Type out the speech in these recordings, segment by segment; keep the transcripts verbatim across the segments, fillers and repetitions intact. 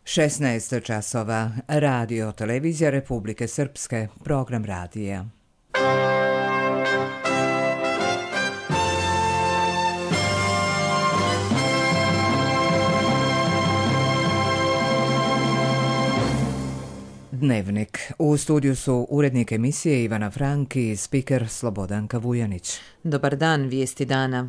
šesnaest časova. Radio Televizija Republike Srpske. Program radija. Dnevnik. U studiju su urednik emisije Ivana Frank i spiker Slobodanka Vujanić. Dobar dan, vijesti dana.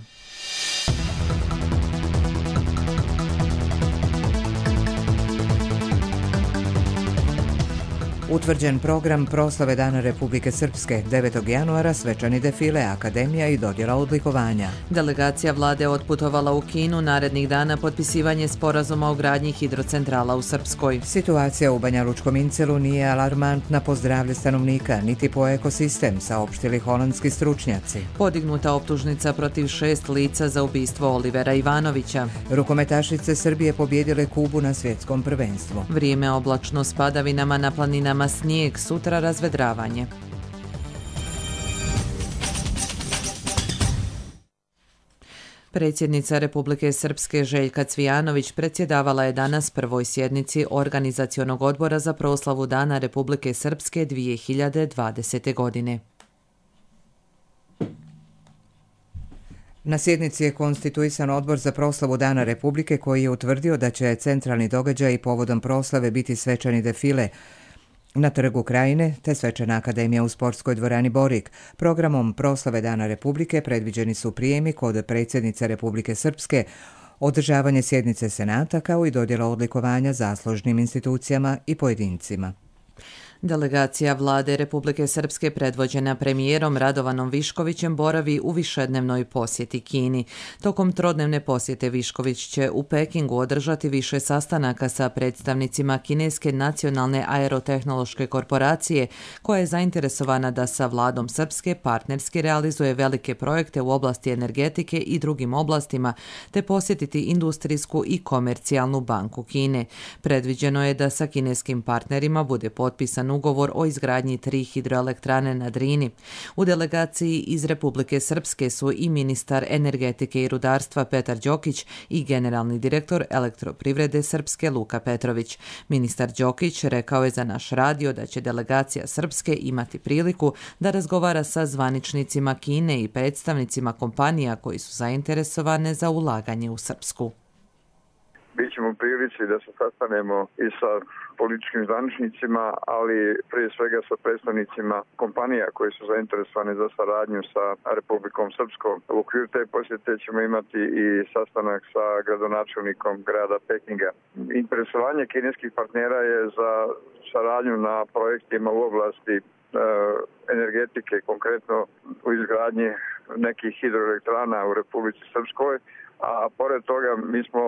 Utvrđen program proslave Dana Republike Srpske, devetog januara svečani defile, akademija i dodjela odlikovanja. Delegacija vlade otputovala u Kinu, narednih dana potpisivanje sporazuma o gradnji hidrocentrala u Srpskoj. Situacija u Banjalučkom Incelu nije alarmantna po zdravlje stanovnika, niti po ekosistem, saopštili holandski stručnjaci. Podignuta optužnica protiv šest lica za ubistvo Olivera Ivanovića. Rukometašice Srbije pobjedile Kubu na svjetskom prvenstvu. Vrijeme oblačno s padavinama, na planinama snijeg, sutra razvedravanje. Predsjednica Republike Srpske Željka Cvijanović predsjedavala je danas prvoj sjednici Organizacionog odbora za proslavu Dana Republike Srpske dvije hiljade dvadesete. godine. Na sjednici je konstituisan odbor za proslavu Dana Republike koji je utvrdio da će centralni događaj povodom proslave biti svečani defile na Trgu Krajine te svečana akademija u sportskoj dvorani Borik. Programom proslave Dana Republike predviđeni su prijemi kod predsjednice Republike Srpske, održavanje sjednice Senata kao i dodjela odlikovanja zaslužnim institucijama i pojedincima. Delegacija vlade Republike Srpske predvođena premijerom Radovanom Viškovićem boravi u višednevnoj posjeti Kini. Tokom trodnevne posjete Višković će u Pekingu održati više sastanaka sa predstavnicima Kineske nacionalne aerotehnološke korporacije, koja je zainteresovana da sa vladom Srpske partnerski realizuje velike projekte u oblasti energetike i drugim oblastima, te posjetiti industrijsku i komercijalnu banku Kine. Predviđeno je da sa kineskim partnerima bude potpisan ugovor o izgradnji tri hidroelektrane na Drini. U delegaciji iz Republike Srpske su i ministar energetike i rudarstva Petar Đokić i generalni direktor Elektroprivrede Srpske Luka Petrović. Ministar Đokić rekao je za naš radio da će delegacija Srpske imati priliku da razgovara sa zvaničnicima Kine i predstavnicima kompanija koji su zainteresovane za ulaganje u Srpsku. Bićemo u prilici da se sastanemo i sa političkim zvaničnicima, ali prije svega sa predstavnicima kompanija koji su zainteresovane za saradnju sa Republikom Srpskom. U okviru te posjete ćemo imati i sastanak sa gradonačelnikom grada Pekinga. Interesovanje kineskih partnera je za saradnju na projektima u oblasti e, energetike, konkretno u izgradnji nekih hidroelektrana u Republici Srpskoj, a pored toga mi smo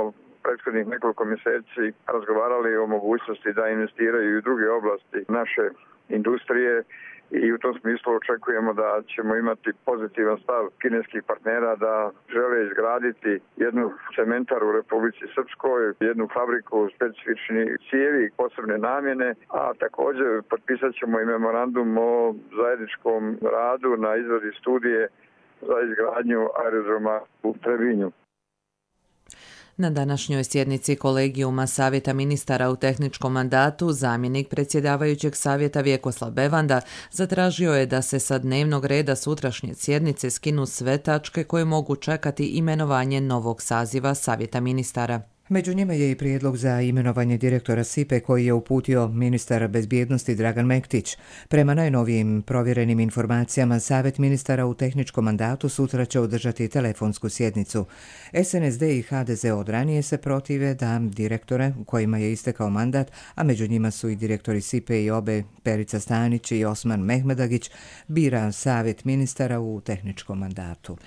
prethodnih nekoliko mjeseci razgovarali o mogućnosti da investiraju i u druge oblasti naše industrije i u tom smislu očekujemo da ćemo imati pozitivan stav kineskih partnera da žele izgraditi jednu cementaru u Republici Srpskoj, jednu fabriku specifičnih cijevi posebne namjene, a također potpisat ćemo i memorandum o zajedničkom radu na izradi studije za izgradnju aerodroma u Trebinju. Na današnjoj sjednici kolegijuma Savjeta ministara u tehničkom mandatu zamjenik predsjedavajućeg savjeta Vjekoslav Bevanda zatražio je da se sa dnevnog reda sutrašnje sjednice skinu sve tačke koje mogu čekati imenovanje novog saziva Savjeta ministara. Među njima je i prijedlog za imenovanje direktora S I P E koji je uputio ministar bezbjednosti Dragan Mektić. Prema najnovijim provjerenim informacijama, Savjet ministara u tehničkom mandatu sutra će održati telefonsku sjednicu. S N S D i H D Z od ranije se protive da direktore kojima je istekao mandat, a među njima su i direktori S I P E i obe Perica Stanić i Osman Mehmedagić, bira Savjet ministara u tehničkom mandatu.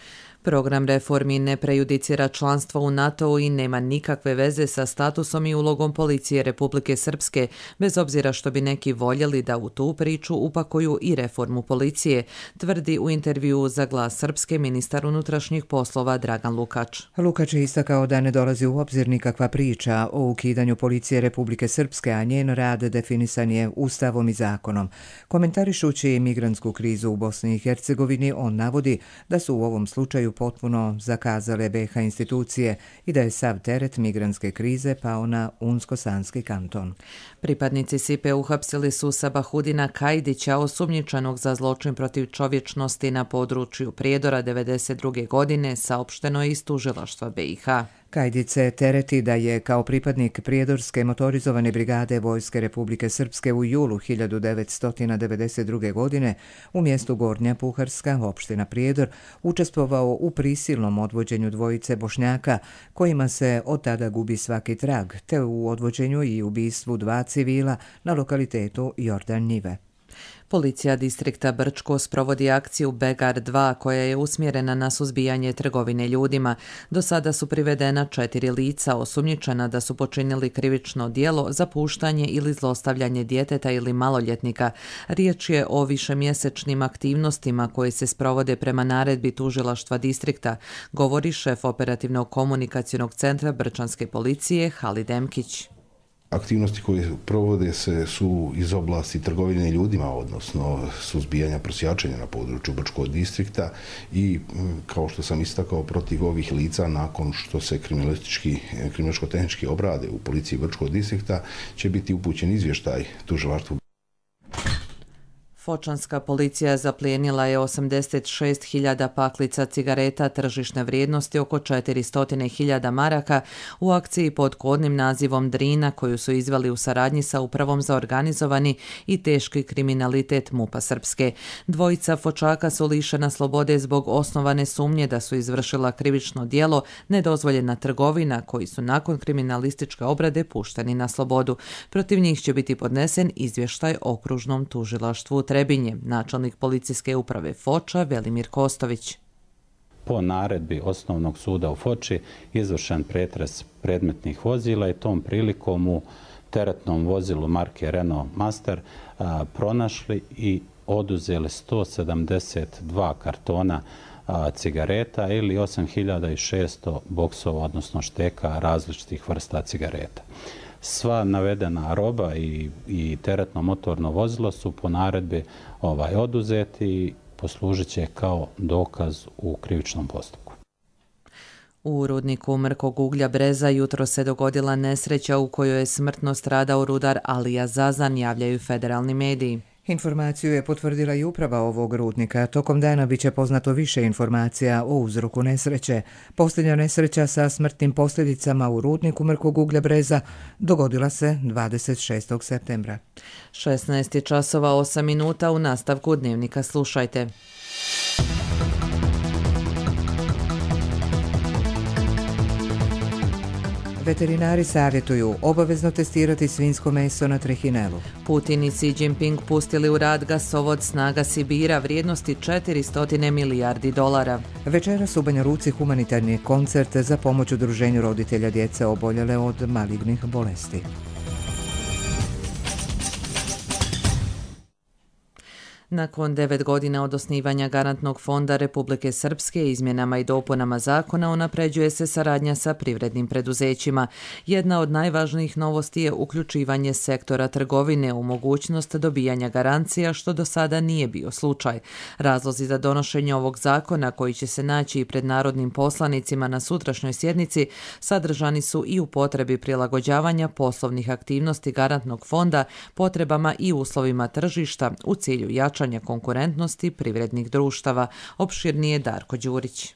Program reformi ne prejudicira članstvo u NATO-u i nema nikakve veze sa statusom i ulogom policije Republike Srpske, bez obzira što bi neki voljeli da u tu priču upakuju i reformu policije, tvrdi u intervjuu za Glas Srpske ministar unutrašnjih poslova Dragan Lukač. Lukač je istakao da ne dolazi u obzir nikakva priča o ukidanju policije Republike Srpske, a njen rad definisan je ustavom i zakonom. Komentarišući migrantsku krizu u Bosni i Hercegovini, on navodi da su u ovom slučaju potpuno zakazale be ha institucije i da je sav teret migrantske krize pao na Unsko-Sanski kanton. Pripadnici Sipe uhapsili su Sabahudina Kajdića, osumnjičenog za zločin protiv čovječnosti na području Prijedora devedeset druge godine, saopšteno je iz tužilaštva be i ha. Kajdić se tereti da je kao pripadnik Prijedorske motorizovane brigade Vojske Republike Srpske u julu hiljadu devetsto devedeset druge godine u mjestu Gornja Puharska, opština Prijedor, učestvovao u prisilnom odvođenju dvojice Bošnjaka, kojima se od tada gubi svaki trag, te u odvođenju i ubistvu dva civila na lokalitetu Jordan Njive. Policija distrikta Brčko sprovodi akciju Begar dva koja je usmjerena na suzbijanje trgovine ljudima. Do sada su privedena četiri lica osumnjičena da su počinili krivično djelo za puštanje ili zlostavljanje djeteta ili maloljetnika. Riječ je o višemjesečnim aktivnostima koje se sprovode prema naredbi tužilaštva distrikta, govori šef operativnog komunikacionog centra Brčanske policije Halid Emkić. Aktivnosti koje provode se su iz oblasti trgovine ljudima, odnosno suzbijanja prosjačenja na području Brčkog distrikta i, kao što sam istakao, protiv ovih lica nakon što se kriminalistički obrade u policiji Brčkog distrikta će biti upućen izvještaj tužilaštvu. Fočanska policija zaplijenila je osamdeset šest hiljada paklica cigareta tržišne vrijednosti oko četiristo hiljada maraka u akciji pod kodnim nazivom Drina koju su izveli u saradnji sa Upravom za organizovani i teški kriminalitet MUP-a Srpske. Dvojica fočaka su lišena slobode zbog osnovane sumnje da su izvršila krivično djelo nedozvoljena trgovina, koji su nakon kriminalističke obrade pušteni na slobodu. Protiv njih će biti podnesen izvještaj okružnom tužilaštvu Trebinje, načelnik policijske uprave Foča Velimir Kostović. Po naredbi Osnovnog suda u Foči izvršen pretres predmetnih vozila i tom prilikom u teretnom vozilu marke Renault Master a, pronašli i oduzeli sto sedamdeset dva kartona a, cigareta ili osam hiljada šesto boksova, odnosno šteka različitih vrsta cigareta. Sva navedena roba i, i teretno motorno vozilo su po naredbi ovaj, oduzeti i poslužit će kao dokaz u krivičnom postupku. U rudniku mrkog uglja Breza jutro se dogodila nesreća u kojoj je smrtno stradao rudar Alija Zazan, javljaju federalni mediji. Informaciju je potvrdila i uprava ovog rudnika. Tokom dana bit će poznato više informacija o uzroku nesreće. Posljednja nesreća sa smrtnim posljedicama u rudniku mrkog uglja Breza dogodila se dvadeset šestog septembra. šesnaest časova osam minuta, u nastavku dnevnika slušajte. Veterinari savjetuju obavezno testirati svinjsko meso na trihinelu. Putin i Xi Jinping pustili u rad gasovod Snaga Sibira vrijednosti četiristo milijardi dolara. Večeras u Banja Luci humanitarni koncert za pomoć udruženju roditelja djece oboljele od malignih bolesti. Nakon devet godina od osnivanja Garantnog fonda Republike Srpske izmjenama i dopunama zakona unapređuje se saradnja sa privrednim preduzećima. Jedna od najvažnijih novosti je uključivanje sektora trgovine u mogućnost dobijanja garancija, što do sada nije bio slučaj. Razlozi za donošenje ovog zakona, koji će se naći i pred narodnim poslanicima na sutrašnjoj sjednici, sadržani su i u potrebi prilagođavanja poslovnih aktivnosti Garantnog fonda potrebama i uslovima tržišta u cilju jačanja konkurentnosti privrednih društava, opširnije Darko Đurić.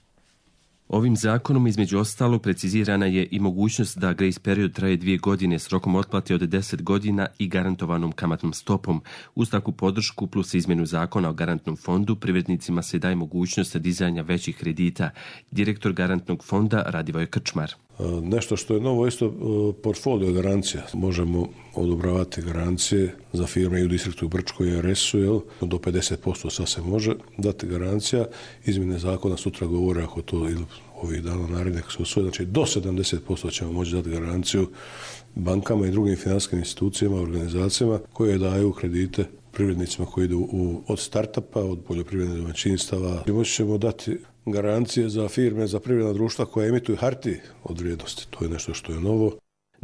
Ovim zakonom između ostalo precizirana je i mogućnost da grace period traje dvije godine s rokom otplate od deset godina i garantovanom kamatnom stopom. Uz takvu podršku plus izmjenu zakona o garantnom fondu privrednicima se daje mogućnost dizanja većih kredita. Direktor garantnog fonda Radivoj Krčmar. Nešto što je novo isto portfolio garancija. Možemo odobravati garancije za firme i u distriktu Brčkoj i R S-u, do pedeset posto sad se može dati garancija. Izmjene zakona sutra govore ako to ili ovih dana narednih se usvoje, znači do sedamdeset posto ćemo moći dati garanciju bankama i drugim financijskim institucijama, organizacijama koje daju kredite privrednicima koji idu u, od startupa, od poljoprivrednih domaćinstava. Moći ćemo dati garancije za firme, za privredna društva koja emituju hartije od vrijednosti. To je nešto što je novo.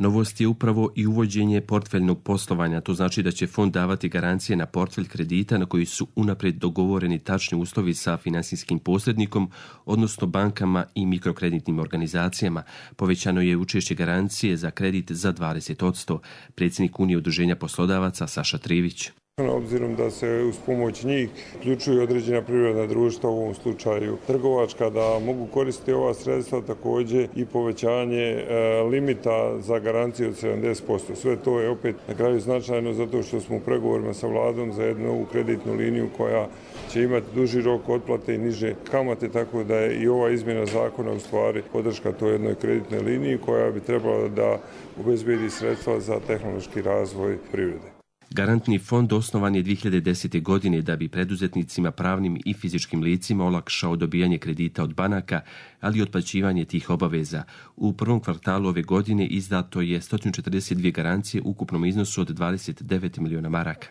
Novost je upravo i uvođenje portfeljnog poslovanja. To znači da će fond davati garancije na portfelj kredita na koji su unaprijed dogovoreni tačni uslovi sa finansijskim posrednikom, odnosno bankama i mikrokreditnim organizacijama. Povećano je učešće garancije za kredit za dvadeset posto. Predsjednik Unije udruženja poslodavaca Saša Trivić. Obzirom da se uz pomoć njih uključuju određena privredna društva, u ovom slučaju trgovačka, da mogu koristiti ova sredstva, također i povećanje e, limita za garanciju od sedamdeset posto. Sve to je opet na kraju značajno zato što smo u pregovorima sa vladom za jednu novu kreditnu liniju koja će imati duži rok otplate i niže kamate, tako da je i ova izmjena zakona u stvari podrška toj jednoj kreditnoj liniji koja bi trebala da obezbedi sredstva za tehnološki razvoj privrede. Garantni fond osnovan je dvije hiljade desete. godine da bi preduzetnicima, pravnim i fizičkim licima olakšao dobijanje kredita od banaka, ali i otplaćivanje tih obaveza. U prvom kvartalu ove godine izdato je sto četrdeset dvije garancije u ukupnom iznosu od dvadeset devet miliona maraka.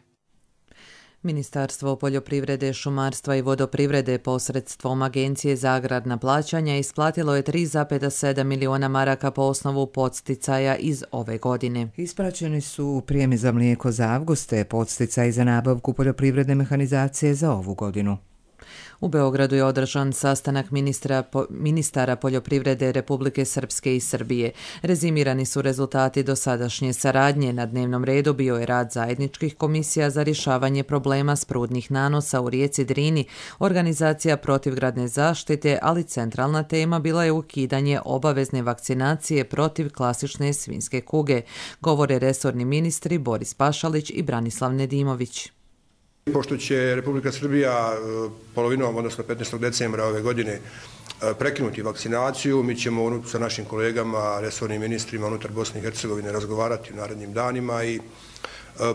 Ministarstvo poljoprivrede, šumarstva i vodoprivrede posredstvom Agencije za agrarna plaćanja isplatilo je tri zarez sedam miliona maraka po osnovu podsticaja iz ove godine. Isplaćeni su prijemi za mlijeko za avgust te podsticaji za nabavku poljoprivredne mehanizacije za ovu godinu. U Beogradu je održan sastanak ministra, po, ministara poljoprivrede Republike Srpske i Srbije. Rezimirani su rezultati dosadašnje saradnje. Na dnevnom redu bio je rad zajedničkih komisija za rješavanje problema sprudnih nanosa u rijeci Drini, organizacija protivgradne zaštite, ali centralna tema bila je ukidanje obavezne vakcinacije protiv klasične svinjske kuge, govore resorni ministri Boris Pašalić i Branislav Nedimović. Pošto će Republika Srbija polovinom, odnosno petnaestog decembra ove godine prekinuti vakcinaciju, mi ćemo sa našim kolegama, resornim ministrima unutar Bosne i Hercegovine razgovarati u narednim danima i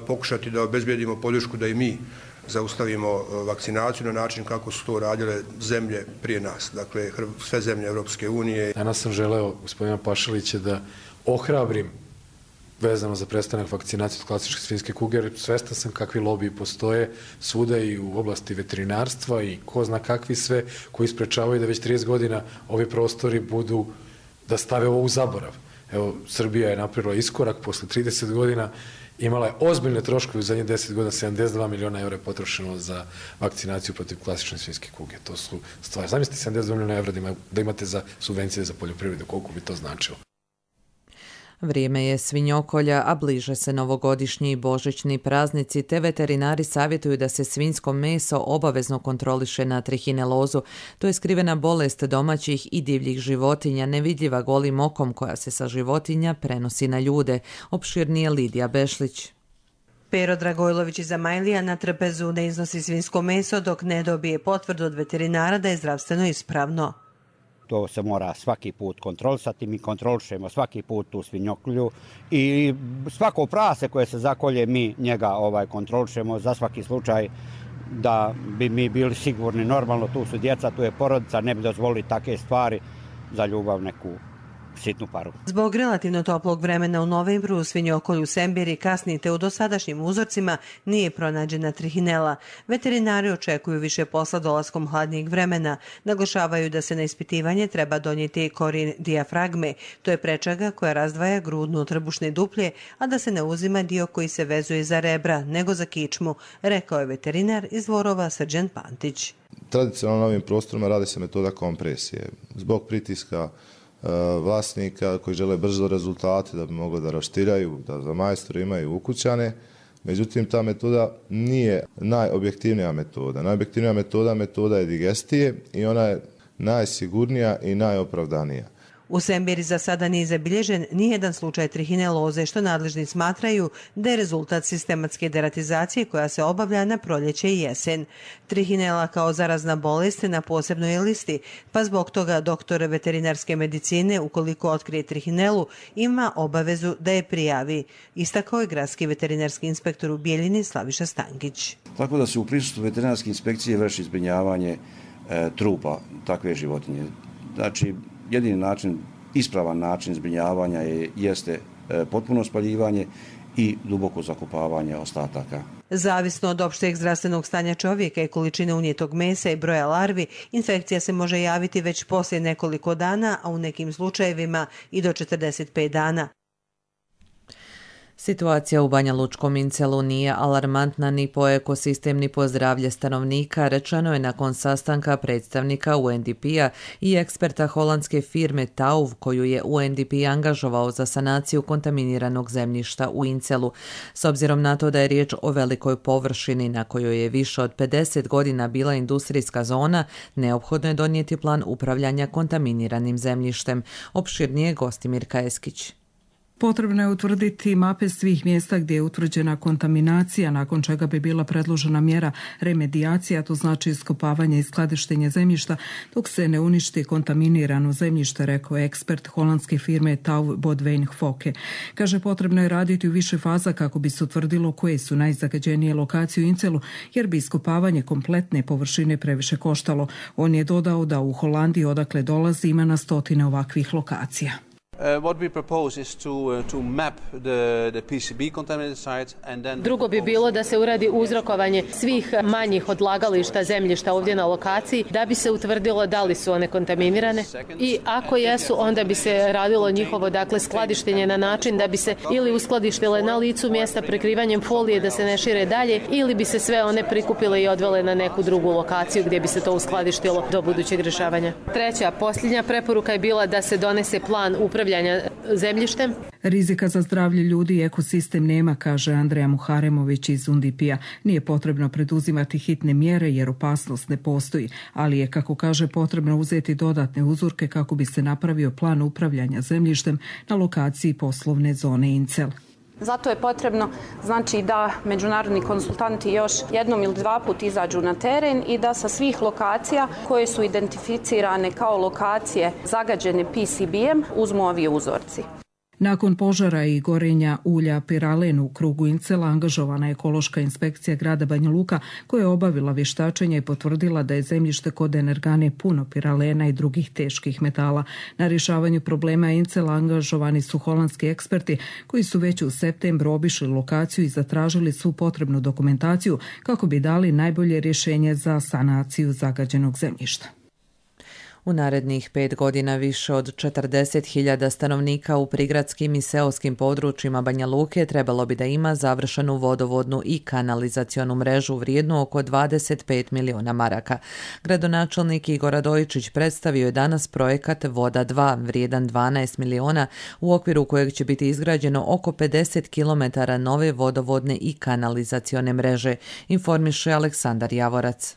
pokušati da obezbijedimo podršku da i mi zaustavimo vakcinaciju na način kako su to radile zemlje prije nas, dakle sve zemlje Europske unije. Danas sam želeo gospodina Pašalića da ohrabrim vezano za prestanak vakcinacije od klasične svinjske kuge, jer svestan sam kakvi lobiji postoje svuda i u oblasti veterinarstva i ko zna kakvi sve koji sprečavaju da već trideset godina ovi prostori budu da stave ovo u zaborav. Evo, Srbija je napravila iskorak posle trideset godina, imala je ozbiljne troškove u zadnjih deset godina, sedamdeset dva miliona evra je potrošeno za vakcinaciju protiv klasične svinjske kuge. To su stvari. Zamislite sedamdeset dva miliona evra da imate za subvencije za poljoprivredu, koliko bi to značilo. Vrijeme je svinjokolja, a bliže se novogodišnji i božićni praznici, te veterinari savjetuju da se svinjsko meso obavezno kontroliše na trihinelozu. To je skrivena bolest domaćih i divljih životinja, nevidljiva golim okom koja se sa životinja prenosi na ljude. Opširnije Lidija Bešlić. Pero Dragojlović iz Amajlija na trpezu ne iznosi svinjsko meso dok ne dobije potvrdu od veterinara da je zdravstveno ispravno. To se mora svaki put kontrolisati, mi kontrolišemo svaki put tu svinjokolju i svako prase koje se zakolje mi njega ovaj kontrolišemo za svaki slučaj da bi mi bili sigurni. Normalno tu su djeca, tu je porodica, ne bi dozvolili takve stvari za ljubav neku sitnu paru. Zbog relativno toplog vremena u novembru u svinjokolju Sembiri kasnite u dosadašnjim uzorcima nije pronađena trihinela. Veterinari očekuju više posla dolaskom hladnijeg vremena. Naglašavaju da se na ispitivanje treba donijeti korin dijafragme. To je prečaga koja razdvaja grudnu od trbušne duplje, a da se ne uzima dio koji se vezuje za rebra, nego za kičmu, rekao je veterinar iz Dvorova Srđan Pantić. Tradicionalno na ovim prostorima radi se metoda kompresije. Zbog pritiska vlasnika koji žele brzo rezultate da bi mogli da raštiraju, da za majstori imaju ukućane. Međutim, ta metoda nije najobjektivnija metoda. Najobjektivnija metoda metoda je digestije i ona je najsigurnija i najopravdanija. U Sembiri za sada nije zabilježen nijedan slučaj trihineloze, što nadležni smatraju da je rezultat sistematske deratizacije koja se obavlja na proljeće i jesen. Trihinela kao zarazna bolest na posebnoj je listi, pa zbog toga doktor veterinarske medicine, ukoliko otkrije trihinelu, ima obavezu da je prijavi. Istakao je gradski veterinarski inspektor u Bijeljini Slaviša Stankić. Tako da se u prisustvu veterinarske inspekcije vrši zbrinjavanje e, trupa takve životinje. Znači, jedini način, ispravan način zbrinjavanja je, jeste e, potpuno spaljivanje i duboko zakopavanje ostataka. Zavisno od opšteg zdravstvenog stanja čovjeka i količine unijetog mesa i broja larvi, infekcija se može javiti već poslije nekoliko dana, a u nekim slučajevima i do četrdeset pet dana. Situacija u Banja Lučkom Incelu nije alarmantna ni po ekosistem ni po zdravlje stanovnika, rečeno je nakon sastanka predstavnika U N D P-a i eksperta holandske firme T A U V koju je U N D P angažovao za sanaciju kontaminiranog zemljišta u Incelu. S obzirom na to da je riječ o velikoj površini na kojoj je više od pedeset godina bila industrijska zona, neophodno je donijeti plan upravljanja kontaminiranim zemljištem. Opširnije Gostimir Kajeskić. Potrebno je utvrditi mape svih mjesta gdje je utvrđena kontaminacija, nakon čega bi bila predložena mjera remedijacija, to znači iskopavanje i skladištenje zemljišta, dok se ne uništi kontaminirano zemljište, rekao je ekspert holandske firme T A U V Bodwijn Fokke. Kaže, potrebno je raditi u više faza kako bi se utvrdilo koje su najzagađenije lokacije u Incelu, jer bi iskopavanje kompletne površine previše koštalo. On je dodao da u Holandiji, odakle dolazi, ima na stotine ovakvih lokacija. Drugo bi bilo da se uradi uzrokovanje svih manjih odlagališta zemljišta ovdje na lokaciji da bi se utvrdilo da li su one kontaminirane i ako jesu, onda bi se radilo njihovo dakle skladištenje na način da bi se ili uskladištile na licu mjesta prekrivanjem folije da se ne šire dalje ili bi se sve one prikupile i odvele na neku drugu lokaciju gdje bi se to uskladištilo do budućeg rješavanja. Treća, posljednja preporuka je bila da se donese plan upravljanja zemljištem. Rizika za zdravlje ljudi i ekosistem nema, kaže Andreja Muharemović iz U N D P-a. Nije potrebno preduzimati hitne mjere jer opasnost ne postoji, ali je, kako kaže, potrebno uzeti dodatne uzorke kako bi se napravio plan upravljanja zemljištem na lokaciji poslovne zone Incel. Zato je potrebno znači da međunarodni konsultanti još jednom ili dva put izađu na teren i da sa svih lokacija koje su identificirane kao lokacije zagađene P C B-em uzmu ovi uzorci. Nakon požara i gorenja ulja piralen u krugu Incela angažovana je ekološka inspekcija grada Banja Luka koja je obavila vještačenje i potvrdila da je zemljište kod energane puno piralena i drugih teških metala. Na rješavanju problema Incela angažovani su holandski eksperti koji su već u septembru obišli lokaciju i zatražili svu potrebnu dokumentaciju kako bi dali najbolje rješenje za sanaciju zagađenog zemljišta. U narednih pet godina više od četrdeset hiljada stanovnika u prigradskim i seoskim područjima Banja Luke trebalo bi da ima završenu vodovodnu i kanalizacionu mrežu vrijednu oko dvadeset pet miliona maraka. Gradonačelnik Igor Radojičić predstavio je danas projekat Voda dva vrijedan dvanaest miliona u okviru kojeg će biti izgrađeno oko pedeset kilometara nove vodovodne i kanalizacione mreže, informiše Aleksandar Javorac.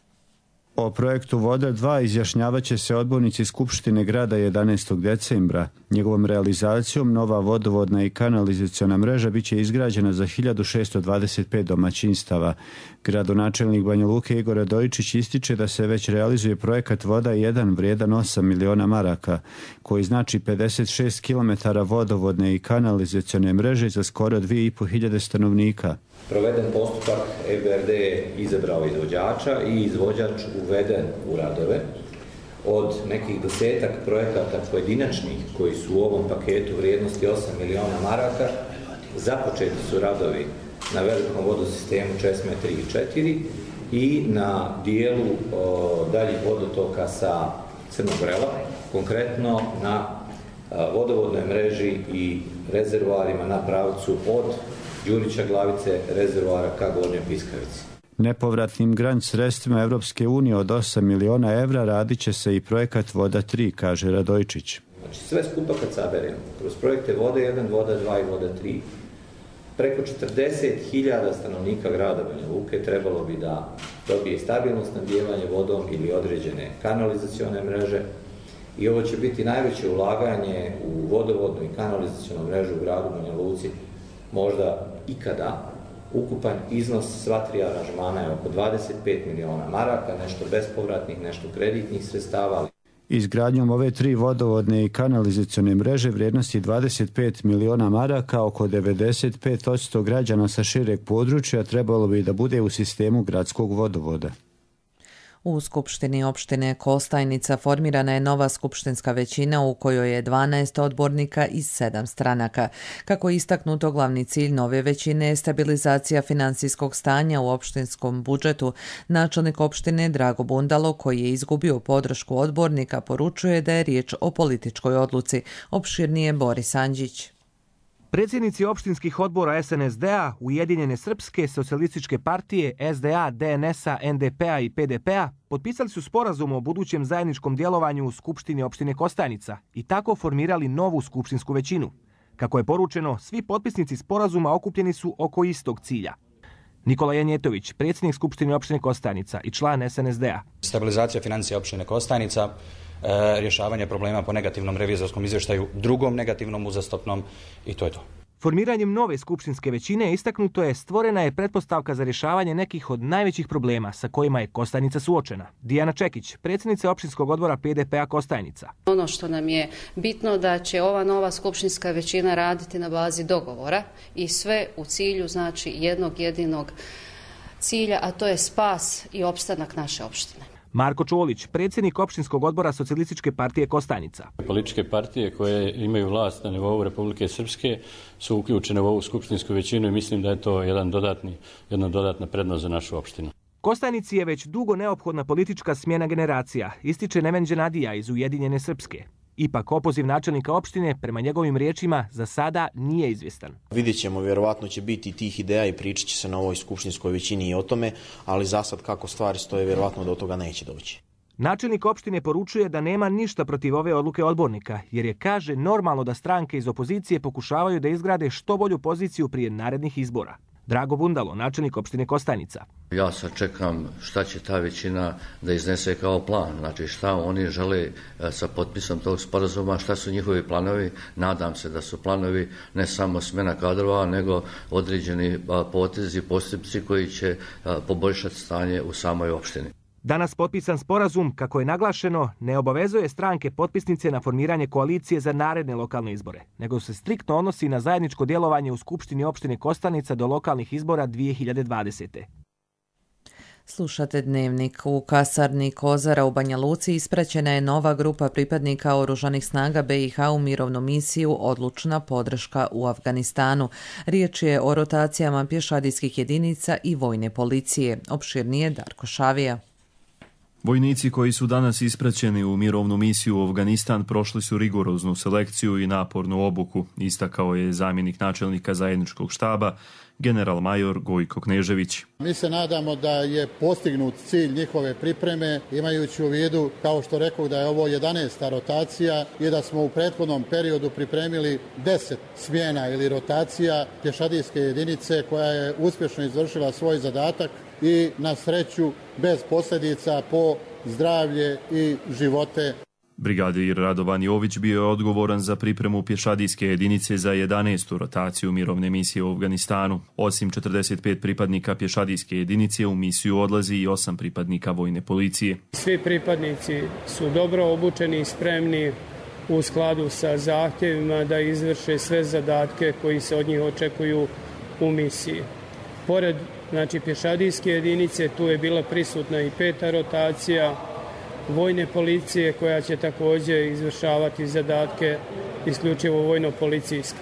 O projektu Voda dva izjašnjavaće se odbornici Skupštine grada jedanaestog decembra. Njegovom realizacijom nova vodovodna i kanalizaciona mreža biće izgrađena za hiljadu šesto dvadeset pet domaćinstava. Gradonačelnik Banja Luke Igor Radojičić ističe da se već realizuje projekat Voda jedan vrijedan osam miliona maraka, koji znači pedeset šest kilometara vodovodne i kanalizacione mreže za skoro dvije i po hiljade stanovnika. Proveden postupak, E B R D je izabrao izvođača i izvođač uveden u radove. Od nekih desetak projekata pojedinačnih koji su u ovom paketu vrijednosti osam miliona maraka, započeti su radovi na velikom vodosistemu Česme tri i četiri i na dijelu o, daljih vodotoka sa Crnog Vrela, konkretno na a, vodovodnoj mreži i rezervoarima na pravcu od Đurića Glavice rezervoara ka Gornjoj Piskavici. Nepovratnim grant sredstvima Evropske unije od osam miliona evra radit će se i projekat Voda tri, kaže Radojičić. Znači sve skupa kad saberemo, kroz projekte Voda jedan, Voda dva i Voda tri, preko četrdeset hiljada stanovnika grada Banja Luke trebalo bi da dobije stabilno snabdijevanje vodom ili određene kanalizacione mreže i ovo će biti najveće ulaganje u vodovodnu i kanalizacionu mrežu u gradu Banja Luci možda ikada. Ukupan iznos sva tri aranžmana je oko dvadeset pet miliona maraka, nešto bespovratnih, nešto kreditnih sredstava. Izgradnjom ove tri vodovodne i kanalizacione mreže vrijednosti dvadeset pet miliona maraka, oko devedeset pet posto građana sa šireg područja trebalo bi da bude u sistemu gradskog vodovoda. U Skupštini opštine Kostajnica formirana je nova skupštinska većina u kojoj je dvanaest odbornika iz sedam stranaka. Kako je istaknuto, glavni cilj nove većine je stabilizacija finansijskog stanja u opštinskom budžetu. Načelnik opštine Drago Bundalo, koji je izgubio podršku odbornika, poručuje da je riječ o političkoj odluci. Opširnije Boris Anđić. Predsjednici opštinskih odbora S N S D-a, Ujedinjene srpske, Socijalističke partije, S D A, D N S-a, N D P-a i P D P-a potpisali su sporazum o budućem zajedničkom djelovanju u Skupštini opštine Kostajnica i tako formirali novu skupštinsku većinu. Kako je poručeno, svi potpisnici sporazuma okupljeni su oko istog cilja. Nikola Janjetović, predsjednik Skupštine opštine Kostajnica i član S N S D-a. Stabilizacija financija opštine Kostajnica, e, rješavanje problema po negativnom revizorskom izvještaju, drugom negativnom uzastopnom i to je to. Formiranjem nove skupštinske većine istaknuto je stvorena je pretpostavka za rješavanje nekih od najvećih problema sa kojima je Kostajnica suočena. Dijana Čekić, predsjednica opštinskog odbora P D P-a Kostajnica. Ono što nam je bitno da će ova nova skupštinska većina raditi na bazi dogovora i sve u cilju znači jednog jedinog cilja, a to je spas i opstanak naše opštine. Marko Čolić, predsjednik opštinskog odbora Socijalističke partije Kostajnica. Političke partije koje imaju vlast na nivou Republike Srpske su uključene u ovu skupštinsku većinu i mislim da je to jedan dodatni, jedna dodatna prednost za našu opštinu. Kostajnici je već dugo neophodna politička smjena generacija, ističe Neven Dženadija iz Ujedinjene srpske. Ipak opoziv načelnika opštine, prema njegovim riječima, za sada nije izvjestan. Vidjet ćemo, vjerovatno će biti tih ideja i pričat će se na ovoj skupštinskoj većini i o tome, ali za sad kako stvari stoje, vjerovatno do toga neće doći. Načelnik opštine poručuje da nema ništa protiv ove odluke odbornika, jer je, kaže, normalno da stranke iz opozicije pokušavaju da izgrade što bolju poziciju prije narednih izbora. Drago Bundalo, načelnik opštine Kostajnica. Ja sad čekam šta će ta većina da iznese kao plan, znači šta oni žele sa potpisom tog sporazuma, šta su njihovi planovi. Nadam se da su planovi ne samo smjena kadrova, nego određeni potezi, postupci koji će poboljšati stanje u samoj opštini. Danas potpisan sporazum, kako je naglašeno, ne obavezuje stranke potpisnice na formiranje koalicije za naredne lokalne izbore, nego se striktno odnosi na zajedničko djelovanje u Skupštini opštine Kostajnica do lokalnih izbora dvije hiljade dvadesete. Slušate Dnevnik. U kasarni Kozara u Banja Luci ispraćena je nova grupa pripadnika Oružanih snaga B i H u mirovnu misiju Odlučna podrška u Afganistanu. Riječ je o rotacijama pješadijskih jedinica i vojne policije. Opširnije Darko Šavija. Vojnici koji su danas ispraćeni u mirovnu misiju u Afganistan prošli su rigoroznu selekciju i napornu obuku, istakao je zamjenik načelnika zajedničkog štaba, general major Gojko Knežević. Mi se nadamo da je postignut cilj njihove pripreme, imajući u vidu, kao što rekao, da je ovo jedanaesta rotacija i da smo u prethodnom periodu pripremili deset smjena ili rotacija pješadijske jedinice koja je uspješno izvršila svoj zadatak i na sreću bez posljedica po zdravlje i živote. Brigadir Radovan Jović bio je odgovoran za pripremu pješadijske jedinice za jedanaestu rotaciju mirovne misije u Afganistanu. Osim četrdeset pet pripadnika pješadijske jedinice u misiju odlazi i osam pripadnika vojne policije. Svi pripadnici su dobro obučeni i spremni u skladu sa zahtjevima da izvrše sve zadatke koji se od njih očekuju u misiji. Pored znači, pješadijske jedinice, tu je bila prisutna i peta rotacija vojne policije koja će također izvršavati zadatke isključivo vojno-policijske.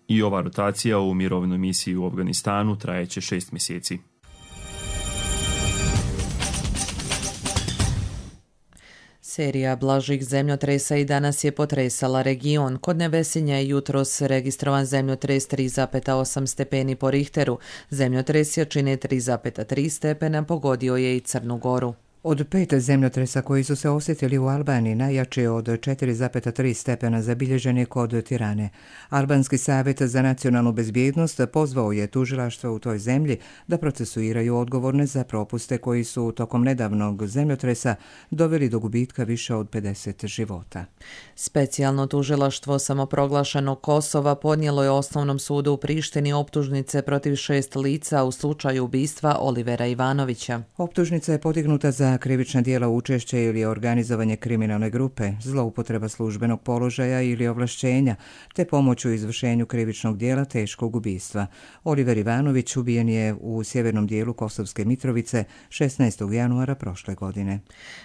I ova rotacija u mirovnoj misiji u Afganistanu trajeće šest mjeseci. Serija blažih zemljotresa i danas je potresala region. Kod Nevesinja je jutros registrovan zemljotres tri zarez osam stepeni po Richteru. Zemljotres jačine tri zarez tri stepena pogodio je i Crnu Goru. Od pet zemljotresa koji su se osjetili u Albaniji, najjači od četiri zarez tri stepena zabilježen je kod Tirane. Albanski savjet za nacionalnu bezbjednost pozvao je tužilaštvo u toj zemlji da procesuiraju odgovorne za propuste koji su tokom nedavnog zemljotresa doveli do gubitka više od pedeset života. Specijalno tužilaštvo samoproglašenog Kosova podnijelo je Osnovnom sudu u Prištini optužnice protiv šest lica u slučaju ubistva Olivera Ivanovića. Optužnica je podignuta za krivična djela učešće ili organizovanje kriminalne grupe, zloupotreba službenog položaja ili ovlašćenja, te pomoć u izvršenju krivičnog djela teškog ubistva. Oliver Ivanović ubijen je u sjevernom dijelu Kosovske Mitrovice šesnaestog januara prošle godine.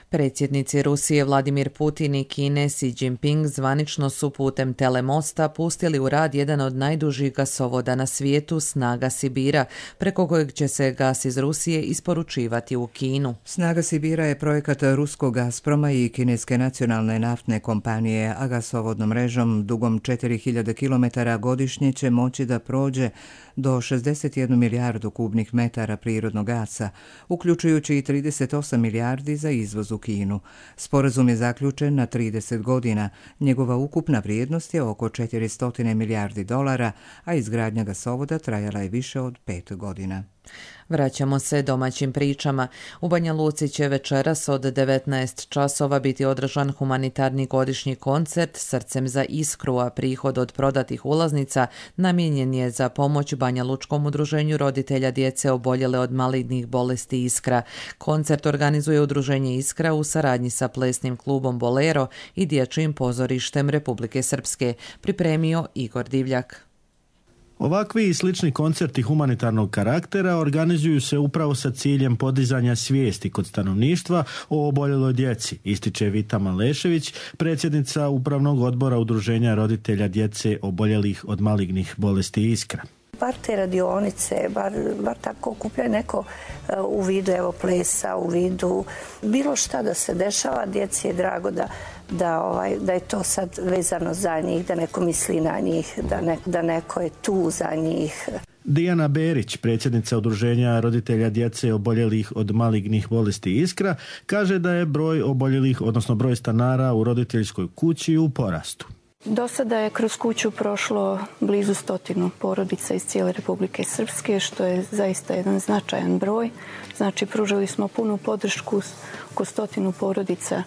Predsjednici Rusije Vladimir Putin i Kine Xi Jinping zvanično su putem telemosta pustili u rad jedan od najdužih gasovoda na svijetu, Snaga Sibira, preko kojeg će se gas iz Rusije isporučivati u Kinu. Snaga Sibira Novosibira je projekat ruskog Gazproma i kineske nacionalne naftne kompanije, a gasovodnom mrežom dugom četiri hiljade kilometara godišnje će moći da prođe do šezdeset jednu milijardu kubnih metara prirodnog gasa, uključujući i trideset osam milijardi za izvoz u Kinu. Sporazum je zaključen na trideset godina. Njegova ukupna vrijednost je oko četiristo milijardi dolara, a izgradnja gasovoda trajala je više od pet godina. Vraćamo se domaćim pričama. U Banja Luci će večeras od devetnaest časova biti održan humanitarni godišnji koncert Srcem za iskru, a prihod od prodatih ulaznica namijenjen je za pomoć Banja Lučkom udruženju roditelja djece oboljele od malignih bolesti Iskra. Koncert organizuje udruženje Iskra u saradnji sa plesnim klubom Bolero i dječjim pozorištem Republike Srpske, pripremio Igor Divljak. Ovakvi i slični koncerti humanitarnog karaktera organizuju se upravo sa ciljem podizanja svijesti kod stanovništva o oboljeloj djeci, ističe Vita Malešević, predsjednica Upravnog odbora udruženja roditelja djece oboljelih od malignih bolesti Iskra. Bar te radionice, bar, bar tako okuplja neko u vidu evo plesa, u vidu bilo šta da se dešava, djeci je drago da, da, ovaj, da je to sad vezano za njih, da neko misli na njih, da, ne, da neko je tu za njih. Dijana Berić, predsjednica udruženja roditelja djece oboljelih od malignih bolesti Iskra, kaže da je broj oboljelih, odnosno broj stanara u roditeljskoj kući u porastu. Do sada je kroz kuću prošlo blizu stotinu porodica iz cijele Republike Srpske, što je zaista jedan značajan broj. Znači, pružali smo punu podršku oko stotinu porodica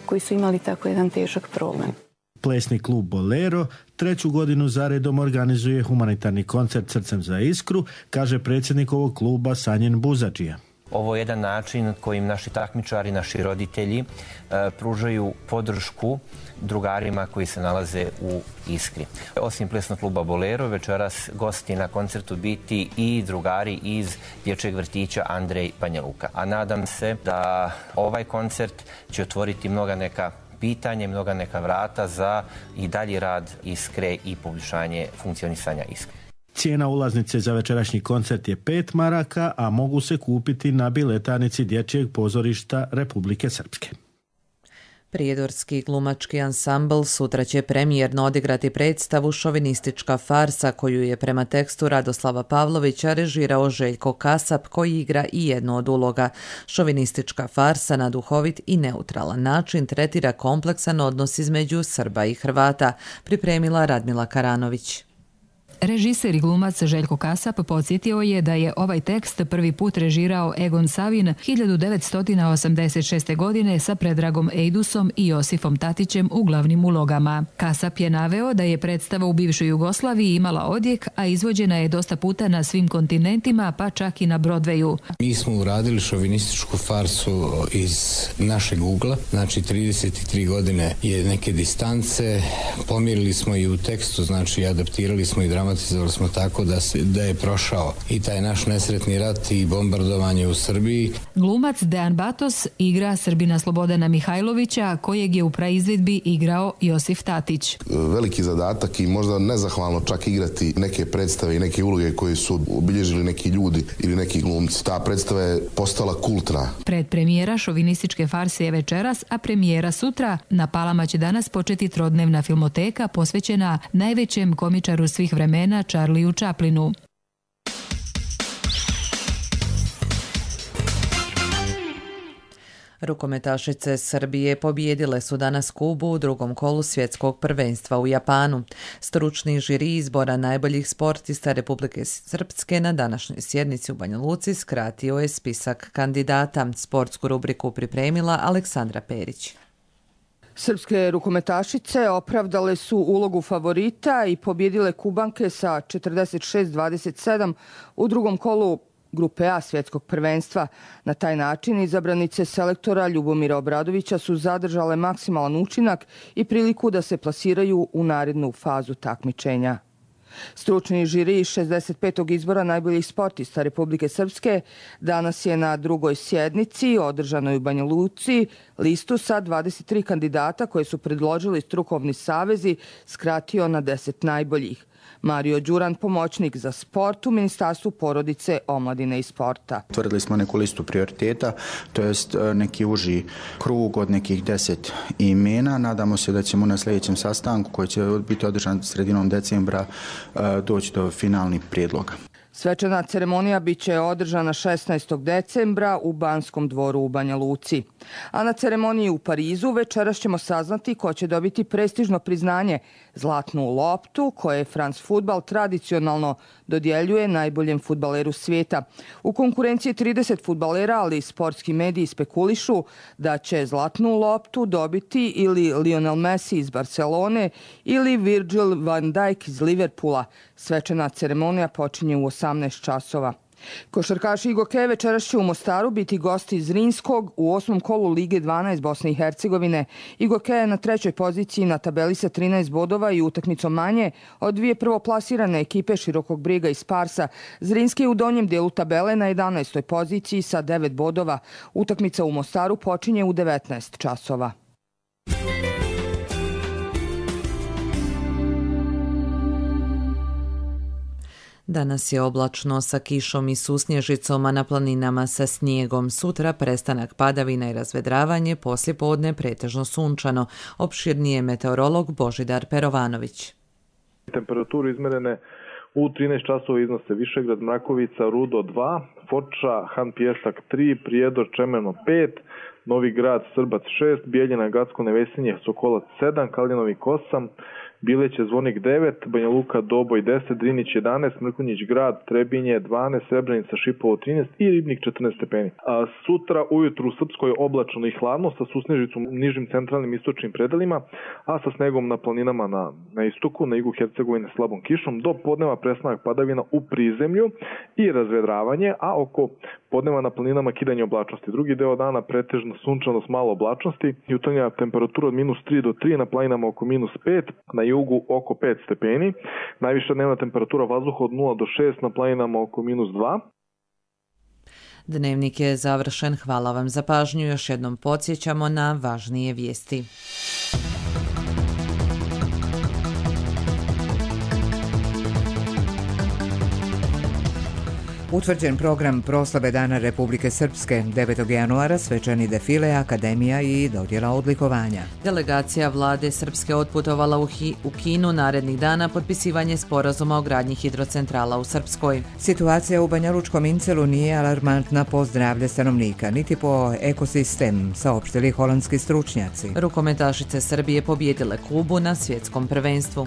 koji su imali tako jedan težak problem. Plesni klub Bolero treću godinu zaredom organizuje humanitarni koncert Srcem za iskru, kaže predsjednik ovog kluba Sanjen Buzadžija. Ovo je jedan način kojim naši takmičari, naši roditelji e, pružaju podršku drugarima koji se nalaze u Iskri. Osim plesnog kluba Bolero, večeras gosti na koncertu biti i drugari iz dječjeg vrtića Andrej Banja Luka. A nadam se da ovaj koncert će otvoriti mnoga neka pitanja, mnoga neka vrata za i dalji rad Iskre i poboljšanje funkcionisanja Iskre. Cijena ulaznice za večerašnji koncert je pet maraka, a mogu se kupiti na biletanici dječjeg pozorišta Republike Srpske. Prijedorski glumački ansambl sutra će premijerno odigrati predstavu Šovinistička farsa, koju je prema tekstu Radoslava Pavlovića režirao Željko Kasap, koji igra i jednu od uloga. Šovinistička farsa na duhovit i neutralan način tretira kompleksan odnos između Srba i Hrvata, pripremila Radmila Karanović. Režiser i glumac Željko Kasap podsjetio je da je ovaj tekst prvi put režirao Egon Savin hiljadu devetsto osamdeset šeste. godine sa Predragom Ejdusom i Josifom Tatićem u glavnim ulogama. Kasap je naveo da je predstava u bivšoj Jugoslaviji imala odjek, a izvođena je dosta puta na svim kontinentima, pa čak i na Broadwayu. Mi smo uradili šovinističku farsu iz našeg ugla, znači trideset tri godine je neke distance, pomjerili smo i u tekstu, znači adaptirali smo i dramatizovali smo tako da, se, da je prošao i taj naš nesretni rat i bombardovanje u Srbiji. Glumac Dejan Batos igra Srbina Slobodana Mihajlovića, kojeg je u praizvedbi igrao Josif Tatić. Veliki zadatak i možda nezahvalno čak igrati neke predstave i neke uloge koje su obilježili neki ljudi ili neki glumci. Ta predstava je postala kultna. Predpremijera šovinističke farse je večeras, a premijera sutra. Na Palama će danas početi trodnevna filmoteka posvećena najvećem komičaru svih vremena, Charlieu Chaplinu. Rukometašice Srbije pobijedile su danas Kubu u drugom kolu svjetskog prvenstva u Japanu. Stručni žiri izbora najboljih sportista Republike Srpske na današnjoj sjednici u Banja Luci skratio je spisak kandidata. Sportsku rubriku pripremila Aleksandra Perić. Srpske rukometašice opravdale su ulogu favorita i pobjedile Kubanke sa četrdeset šest dvadeset sedam u drugom kolu Grupe A svjetskog prvenstva. Na taj način izabranice selektora Ljubomira Obradovića su zadržale maksimalan učinak i priliku da se plasiraju u narednu fazu takmičenja. Stručni žiri šezdeset petog izbora najboljih sportista Republike Srpske danas je na drugoj sjednici, održanoj u Banja Luci, listu sa dvadeset tri kandidata koje su predložili strukovni savezi skratio na deset najboljih. Mario Đuran, pomoćnik za sport u Ministarstvu porodice, omladine i sporta. Utvrdili smo neku listu prioriteta, to jest neki uži krug od nekih deset imena. Nadamo se da ćemo na sljedećem sastanku, koji će biti održan sredinom decembra, doći do finalnih prijedloga. Svečana ceremonija biće održana šesnaestog decembra u Banskom dvoru u Banja Luci. A na ceremoniji u Parizu večeras ćemo saznati ko će dobiti prestižno priznanje Zlatnu loptu, koje France Fudbal tradicionalno dodjeljuje najboljem fudbaleru svijeta. U konkurenciji trideset fudbalera, ali sportski mediji spekulišu da će Zlatnu loptu dobiti ili Lionel Messi iz Barcelone ili Virgil van Dijk iz Liverpoola. Svečana ceremonija počinje u osamnaest časova. Košarkaši Igoke večeras će u Mostaru biti gosti iz Zrinskog u osmom kolu Lige dvanaest Bosne i Hercegovine. Igoke je na trećoj poziciji na tabeli sa trinaest bodova i utakmicom manje od dvije prvoplasirane ekipe Širokog Brijega i Sparsa. Zrinski je u donjem dijelu tabele na jedanaestoj poziciji sa devet bodova. Utakmica u Mostaru počinje u devetnaest časova. Danas je oblačno sa kišom i susnježicom, a na planinama sa snijegom. Sutra prestanak padavina i razvedravanje, poslije podne pretežno sunčano. Opširnije meteorolog Božidar Perovanović. Temperaturu izmerene u trinaest časova iznose Višegrad, Mrakovica, Rudo dva, Foča, Han Pijesak tri, Prijedor, Čemerno pet, Novi Grad, Srbac šest, Bijeljina, Gacko, Nevesinje, Sokolac sedam, Kaljanovik osam, Bileće, Zvornik devet, Banja Luka, Doboj deset, Drinić jedanaest, Mrkonjić Grad, Trebinje dvanaest, Srebrenica, Šipovo trinaest i Ribnik četrnaest stepeni. A sutra ujutru u Srpskoj oblačno i hladno sa susnežicom u nižim centralnim istočnim predelima, a sa snegom na planinama na, na istoku, na jugu Hercegovine slabom kišom. Do podneva prestanak padavina u prizemlju i razvedravanje, a oko podneva na planinama kidanje oblačnosti. Drugi deo dana pretežno sunčano s malo oblačnosti. Jutarnja temperatura od minus tri do tri, na planinama oko minus pet, na jugu oko pet stepeni. Najviša dnevna temperatura vazduha od nula do šest, na planinama oko minus dva. Dnevnik je završen. Hvala vam za pažnju. Još jednom podsjećamo na važnije vijesti. Utvrđen program proslave Dana Republike Srpske, devetog januara svečani defile, akademija i dodjela odlikovanja. Delegacija vlade Srpske otputovala u, Hi, u Kinu narednih dana potpisivanje sporazuma o gradnji hidrocentrala u Srpskoj. Situacija u Banjalučkom Incelu nije alarmantna po zdravlje stanovnika, niti po ekosistem, saopštili holandski stručnjaci. Rukometašice Srbije pobjedile Kubu na svjetskom prvenstvu.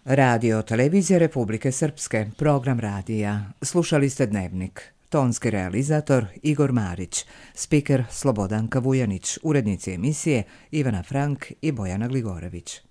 Radio Televizija Republike Srpske, program radija. Slušali ste Dnevnik. Tonski realizator Igor Marić, spiker Slobodanka Vujanić, urednici emisije Ivana Frank i Bojana Gligorević.